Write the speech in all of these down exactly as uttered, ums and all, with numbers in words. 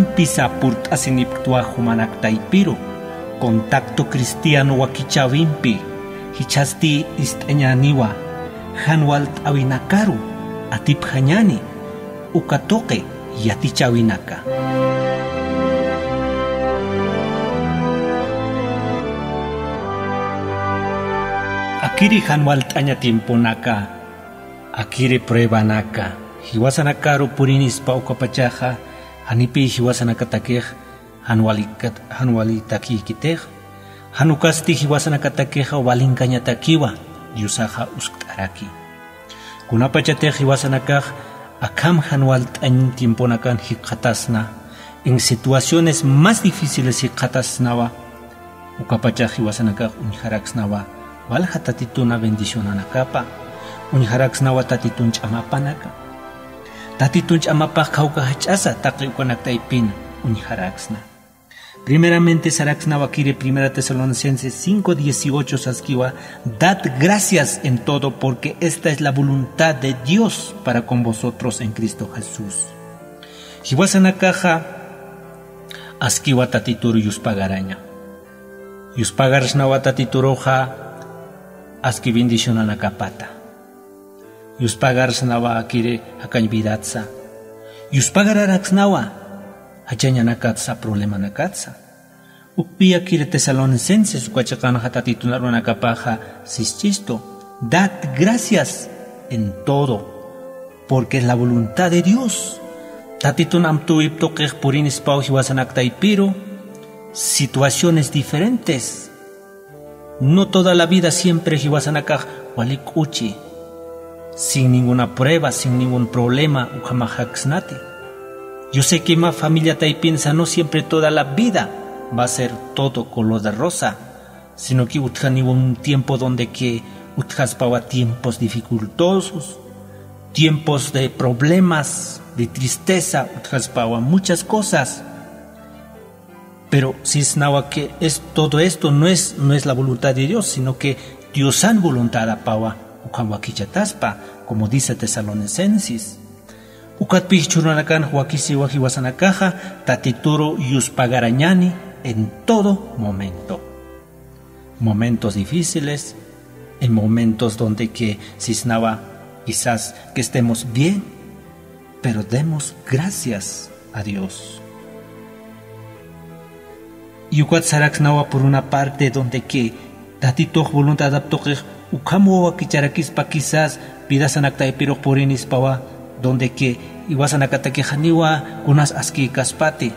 Pisa purt'asinipktwa jumanak taypiru, contacto cristiano wakichäwimpi, jichhasti ist'añäniwa, jan walt'äwinakaru atipjañäni, uka tuqi yatichäwinaka. Akiri jan walt'aña tiemponaka, akiri pruebanaka, jiwasanakaru purinispa ukapachaxa, janipï jiwasanakatakix jan walikat-, jan walitakïkitix, jan ukasti jiwasanakatakixa walinkañatakiwa, Diosaxa uskt'araki. Kunapachatix jiwasanakax akham jan walt'añ tiemponakan jikxatasna, en situaciones más difíciles jikxatasnawa, ukapachax jiwasanakax uñjaraksnawa, walja Tatituna bendicionanakapa, uñjaraksnawa Tatitun ch'amapanaka. Tatitun ch'amapax kawka jach'asa taqi ukanak taypin uñjaraksna. Primeramente saraksnawa akiri Primera Tesalonicenses cinco dieciocho saskiwa: "Dad gracias en todo, porque esta es la voluntad de Dios para con vosotros en Cristo Jesús". Jiwasanakaxa askiwa Tatituru yuspagaraña. Yuspagarsnawa Tatituruxa aski bendicionanakapata. Yuspagarsnawa akiri jakañ vidatsa. Yuspagararaksnawa jachañanakatsa, problemanakatsa. Ukpï akiri Tesalonicenses uka chiqanxa Tatitun arunakapaxa sischistu: "Dad gracias en todo, porque es la voluntad de Dios". Tatitun amtuwip tuqix purinispaw jiwasanak taypiru, situaciones diferentes. No toda la vida siempre jiwasanakax wali k'uchi, sin ninguna prueba, sin ningún problema, ukhamax jaksnati. Yo sé que mä familia taypinsa no siempre toda la vida va a ser todo color de rosa, sino que utjaniwa un tiempo donde que utjaspawa tiempos dificultosos, tiempos de problemas, de tristeza, utjaspawa muchas cosas. Pero sisnawa que es, todo esto no es, no es la voluntad de Dios, sino que Diosan voluntad apawa, ukham wakichataspa, como dice Tesalonicenses. Ukatpï jichhürunakanx wakisiwa jiwasanakaxa, Tatituru yuspagarañani en todo momento. Momentos difíciles, en momentos donde que sisnawa quizás que estemos bien, pero demos gracias a Dios. Y ukat saraksnawa por una parte donde que Tatitux voluntadap tuqix ukham wakicharakispa, quizás vidasanak taypirux purinispawa, donde que jiwasanakatakix janiwa kunas askïkaspati.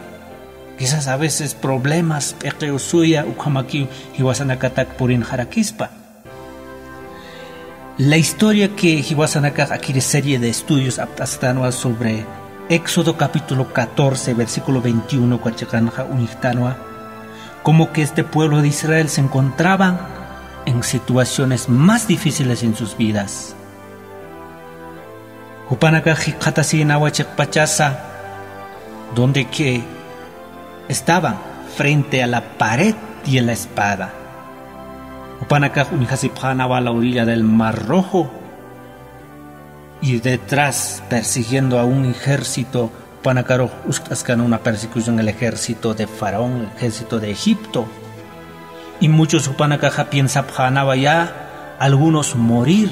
Quizás a veces problemas, p'iqiw suya, ukhamakiw jiwasanakatak purinxarakispa. La historia que jiwasanakax akiri serie de estudios apt'astanwa sobre Éxodo capítulo catorce, versículo veintiuno, uka chiqanxa uñjtanwa, como que este pueblo de Israel se encontraban en situaciones más difíciles en sus vidas. Jupanakax jikxatasïnawa chiqpachasa, donde que estaban frente a la pared y a la espada. Jupanakax uñjasipxänawa a la orilla del Mar Rojo, y detrás persiguiendo a un ejército, jupanakarux uskt'askän una persecución, el ejército de Faraón, el ejército de Egipto. Y muchos jupanakaxa piensapxänawa ya algunos morir,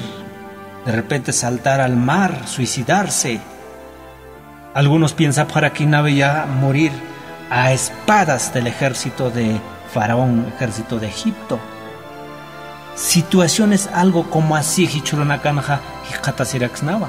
de repente saltar al mar, suicidarse. Algunos piensapxarakïnawa ya morir a espadas del ejército de Faraón, ejército de Egipto. Situaciones algo como así jichhürunakanxa jikxatasiraksnawa.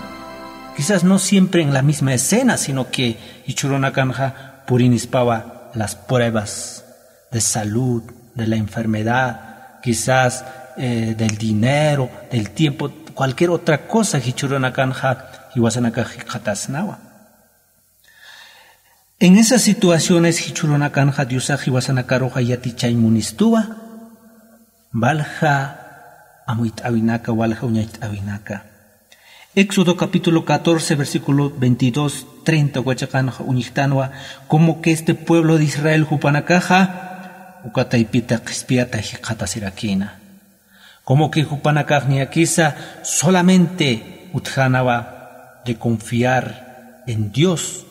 Quizás no siempre en la misma escena, sino que jichhürunakanxa purinispawa las pruebas de salud, de la enfermedad, quizás, eh, del dinero, del tiempo, cualquier otra cosa jichhürunakanxa jiwasanakax jikxatasnawa. En esas situaciones jichhürunakanxa Diosax jiwasanakaruxa yatichañ munistuwa, walja amuyt'äwinaka, walja uñacht'äwinaka. Éxodo capítulo catorce, versículo veintidós, treinta, uka chiqanxa uñjtanwa, como que este pueblo de Israel jupanakaxa, uka taypita qhispiyata jikxatasirakïna. Como que jupanakax niyakisa solamente utjänawa de confiar en Dios.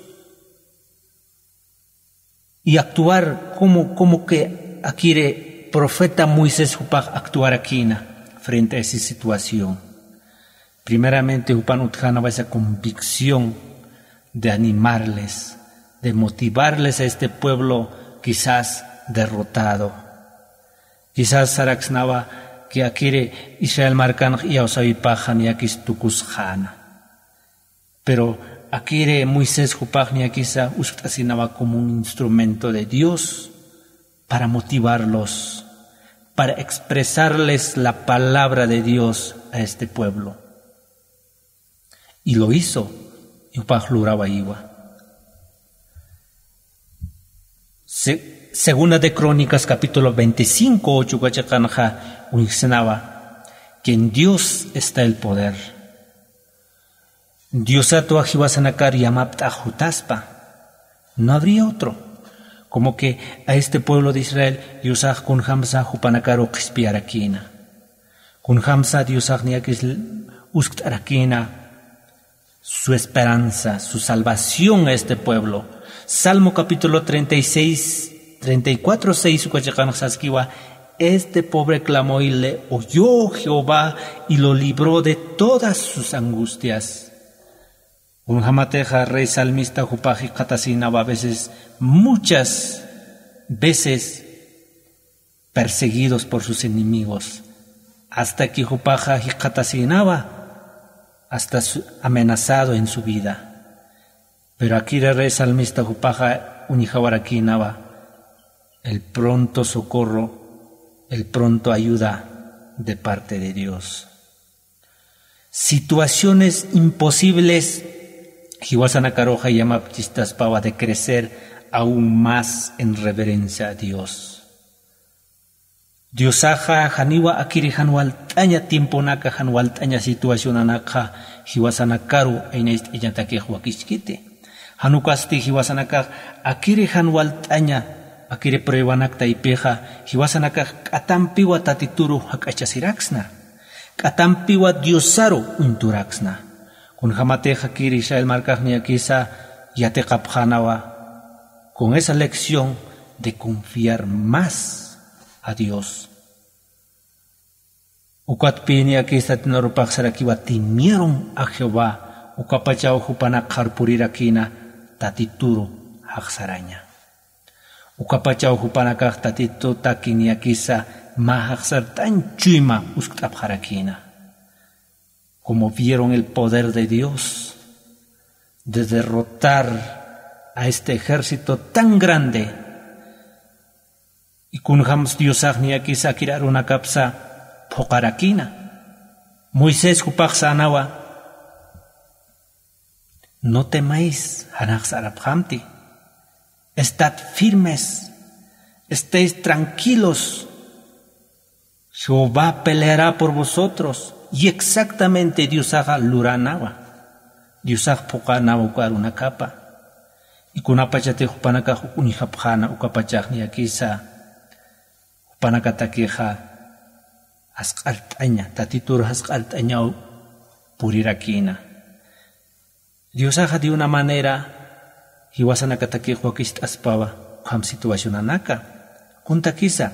y actuar como, como que akiri profeta Moisés jupax actuarakïna frente a esa situación. Primeramente, jupan utjänawa esa convicción de animarles, de motivarles a este pueblo quizás derrotado. Quizás saraksnawa que akiri Israel markanx iyawsäwipaxa niyakis tukusxäna. Pero akiri Moisés jupax niyakisa uskt'asinawa como un instrumento de Dios para motivarlos, para expresarles la palabra de Dios a este pueblo. Y lo hizo, y jupax lurawayiwa. Se-, Segunda de Crónicas, capítulo veinticinco, ocho, uka chiqanxa uñjsnawa, que en Dios está el poder. Diosatwa jiwasanakar yamapt'ax jutaspa. No habría otro. Como que a este pueblo de Israel, Diosax kunjamsa jupanakaru qhispiyarakïna. Kunjamsa Diosax niyakis uskt'arakïna su esperanza, su salvación a este pueblo. Salmo capítulo treinta y seis, treinta y cuatro seis, uka chiqanxa saskiwa, este pobre clamó y le oyó Jehová y lo libró de todas sus angustias. Kunjamatixa rey salmista jupax jikxatasinawa a veces, muchas veces, perseguidos por sus enemigos, hasta que jupaxa jikxatasinawa, hasta su-, amenazado en su vida. Pero akiri rey salmista jupaxa uñjawarakïnawa el pronto socorro, el pronto ayuda de parte de Dios. Situaciones imposibles jiwasanakaruxa yamapchistaspawa de crecer aún más en reverencia a Dios. Diosaxa janiwa akiri jan walt'aña tiemponaka, jan walt'aña situacionanakxa jiwasanakaru aynacht'añatakix wakichkiti. Jan ukasti jiwasanakax akiri jan walt'aña, akiri pruebanak taypixa, jiwasanakax k'atampiwa Tatituru jak'achasiraksna. K'atampiwa Diosaru uñturaksna. Kunjamatix akiri Israel markax niyakisa yatiqapxänawa con esa lección de confiar más a Dios. Ukatpï niyakis Tatitun arupax sarakiwa, temieron a Jehová, ukapachaw jupanak qharpurirakïna Tatituru jaxsaraña. Ukapachaw jupanakax Tatitutaki niyakisa mä jaxsart'añ chuyma uskt'apxarakïna. Como vieron el poder de Dios de derrotar a este ejército tan grande, y kunjams Diosax niyakisa akir arunakapsa phuqarakïna. Moisés jupax sänawa, no temáis, jan jaxsarapxamti. Estad firmes, estéis tranquilos. Jehová peleará por vosotros. Y exactamente Diosaxa luränawa. Diosax phuqänawa uka arunakapa. Y kunapachatix jupanakax uñjapxäna, ukapachax niyakisa jupanakatakixa jasq'art'aña, Tatitur jasq'art'añaw purirakïna. Diosaxa de una manera jiwasanakatakix wakicht'aspawa ukham situacionanaka. Kuntakisa,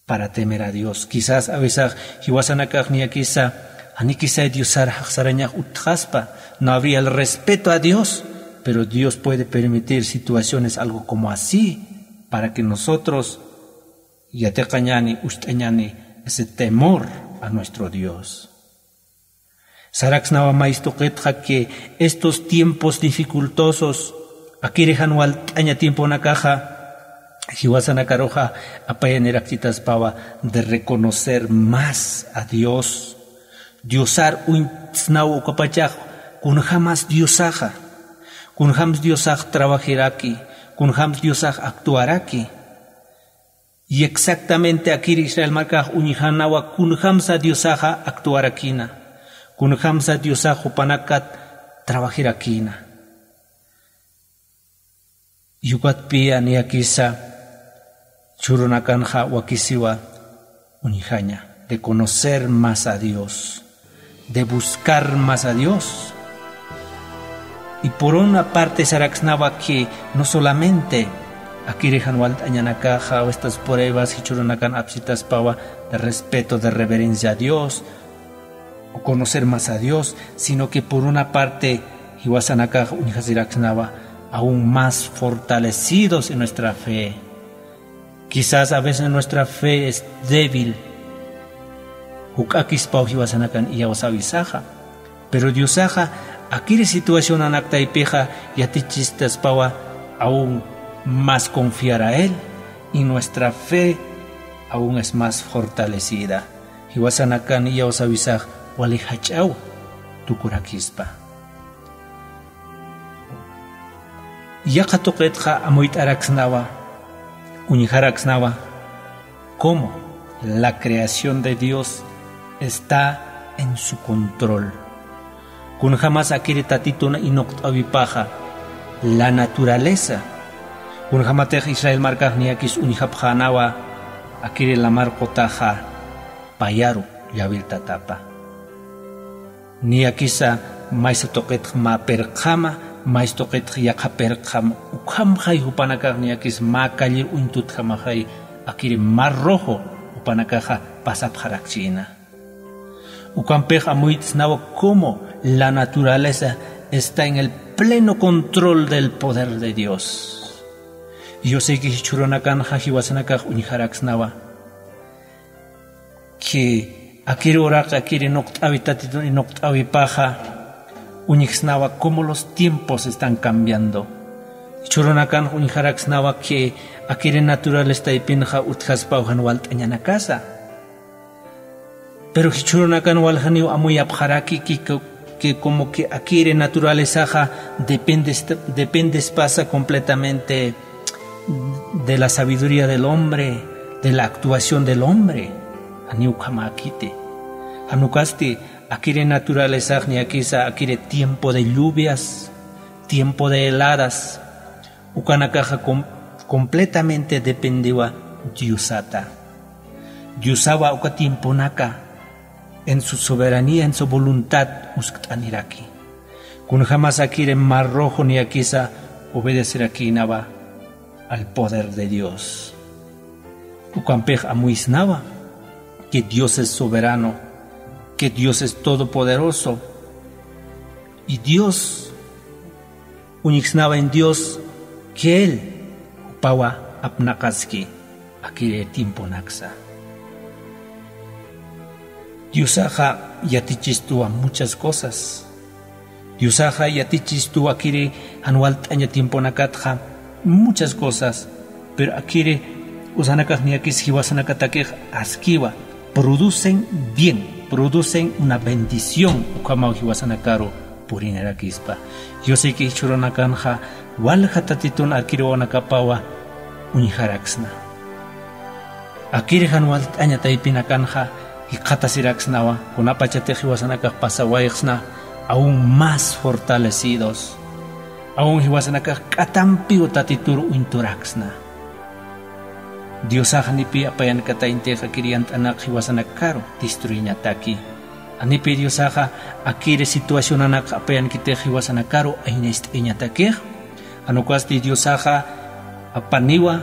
para temer a Dios. Quizás a veces jiwasanakax niyakisa, janikisay Diosar jaxsarañax utjaspa, no habría el respeto a Dios, pero Dios puede permitir situaciones algo como así, para que nosotros yatiqañani, ucht'añani ese temor a nuestro Dios. Saraksnawa maystuqitxa que estos tiempos dificultosos, akiri jan walt'aña tiemponakaxa, jiwasanakaruxa apayanirakchitaspawa de reconocer más a Dios. Diosar uñtsnaw ukapachax kunjamas Diosaxa, kunjams Diosax trabajiraki, kunjams Diosax actuaraki. Y exactamente akir Israel markax uñjanawa kunjamsa Diosaxa actuarakïna, kunjamsa Diosax jupanakat trabajirakïna. Yukatpiya niyakisa chhurunakanxa wakisiwa uñjaña de conocer más a Dios, de buscar más a Dios. Y por una parte saraksnawa que no solamente akiri jan walt'añanakaxa o estas pruebas jichhürunakan apsitaspawa de respeto, de reverencia a Dios, o conocer más a Dios, sino que por una parte jiwasanakax uñjasiraksnawa aún más fortalecidos en nuestra fe. Quizás a veces nuestra fe es débil. Juk'akispaw jiwasanakan iyawsawisaxa. Pero Diosaxa akiri situacionanak taypixa yatichisitaspawa aún más confiar a Él, y nuestra fe aún es más fortalecida. Jiwasanakan iyawsawisax wali jach'aw tukurakispa. Yaqha tuqitxa amuyt'araksnawa, uñjaraksnawa, cómo la creación de Dios está en su control. Kunjamas akiri Tatitun inuqt'awipaxa, la naturaleza. Kunjamatix Israel markax niyakis uñjapxänawa akiri lamar qutaxa payaru llawir tatapa. Niyakisa maysa tuqitx mä pirqjama, maysa tuqitx yaqha pirqjama, ukhamxay jupanakax niyakis mä callir uñtutjamaxay akiri Mar Rojo jupanakaxa pasapxarakchïna. Ukampix amuyt'snawa cómo la naturaleza está en el pleno control del poder de Dios. Yusayki jichhürunakanxa jiwasanakax uñjaraksnawa que akiri uraq, akiri inuqt'awi Tatitun inuqt'awipaxa, uñjsnawa cómo los tiempos están cambiando. Jichhürunakanx uñjaraksnawa que akiri naturaleza taypinxa utjaspaw jan walt'añanakasa. Pero jichhürunakan waljaniw amuyapxaraki que, que, que como que akiri naturalezaxa depende, dependespasa completamente de la sabiduría del hombre, de la actuación del hombre. Janiw ukhamäkiti. Jan ukasti akiri naturalezax niyakisa akiri tiempo de lluvias, tiempo de heladas, ukanakaxa com-, completamente dependiwa Diosata. Diosawa uka tiemponaka en su soberanía, en su voluntad uskt'aniraki. Kunjamas akiri Mar Rojo niyakisa obedecerakïnawa al poder de Dios. Ukampix amuysnawa que Dios es soberano, que Dios es todopoderoso, y Dios uñjsnawa en Dios que Él jupawa apnaqaski akiri tiemponaksa. Diosaxa yatichistuwa muchas cosas. Diosaxa yatichistuwa akiri jan walt'aña tiemponakatxa muchas cosas, pero akiri usanakax niyakis jiwasanakatakix askiwa, producen bien, producen una bendición ukhamaw jiwasanakaru purinirakispa. Yusayki jichhürunakanxa walja Tatitun akiri wawanakapawa uñjaraksna. Akiri jan walt'aña taypinakanxa jikxatasiraksnawa, kunapachatix jiwasanakax pasawayxsna aún más fortalecidos, aún jiwasanakax k'atampiw Tatitur uñturaksna. Diosax janipi apayankatañtix akiri yant'anak jiwasanakaru destruiñataki. Janipi Diosaxa akiri situacionanak apayankitix jiwasanakaru aynacht'ayañatakix. Jan ukasti Diosaxa apaniwa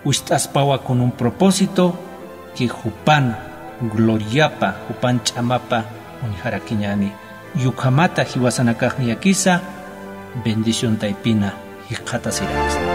ucht'aspawa con un propósito que jupan gloriapa, jupan ch'amapa uñjarakiñäni. Y ukhamata jiwasanakax niyakisa bendición taypina jikxatasiraksna.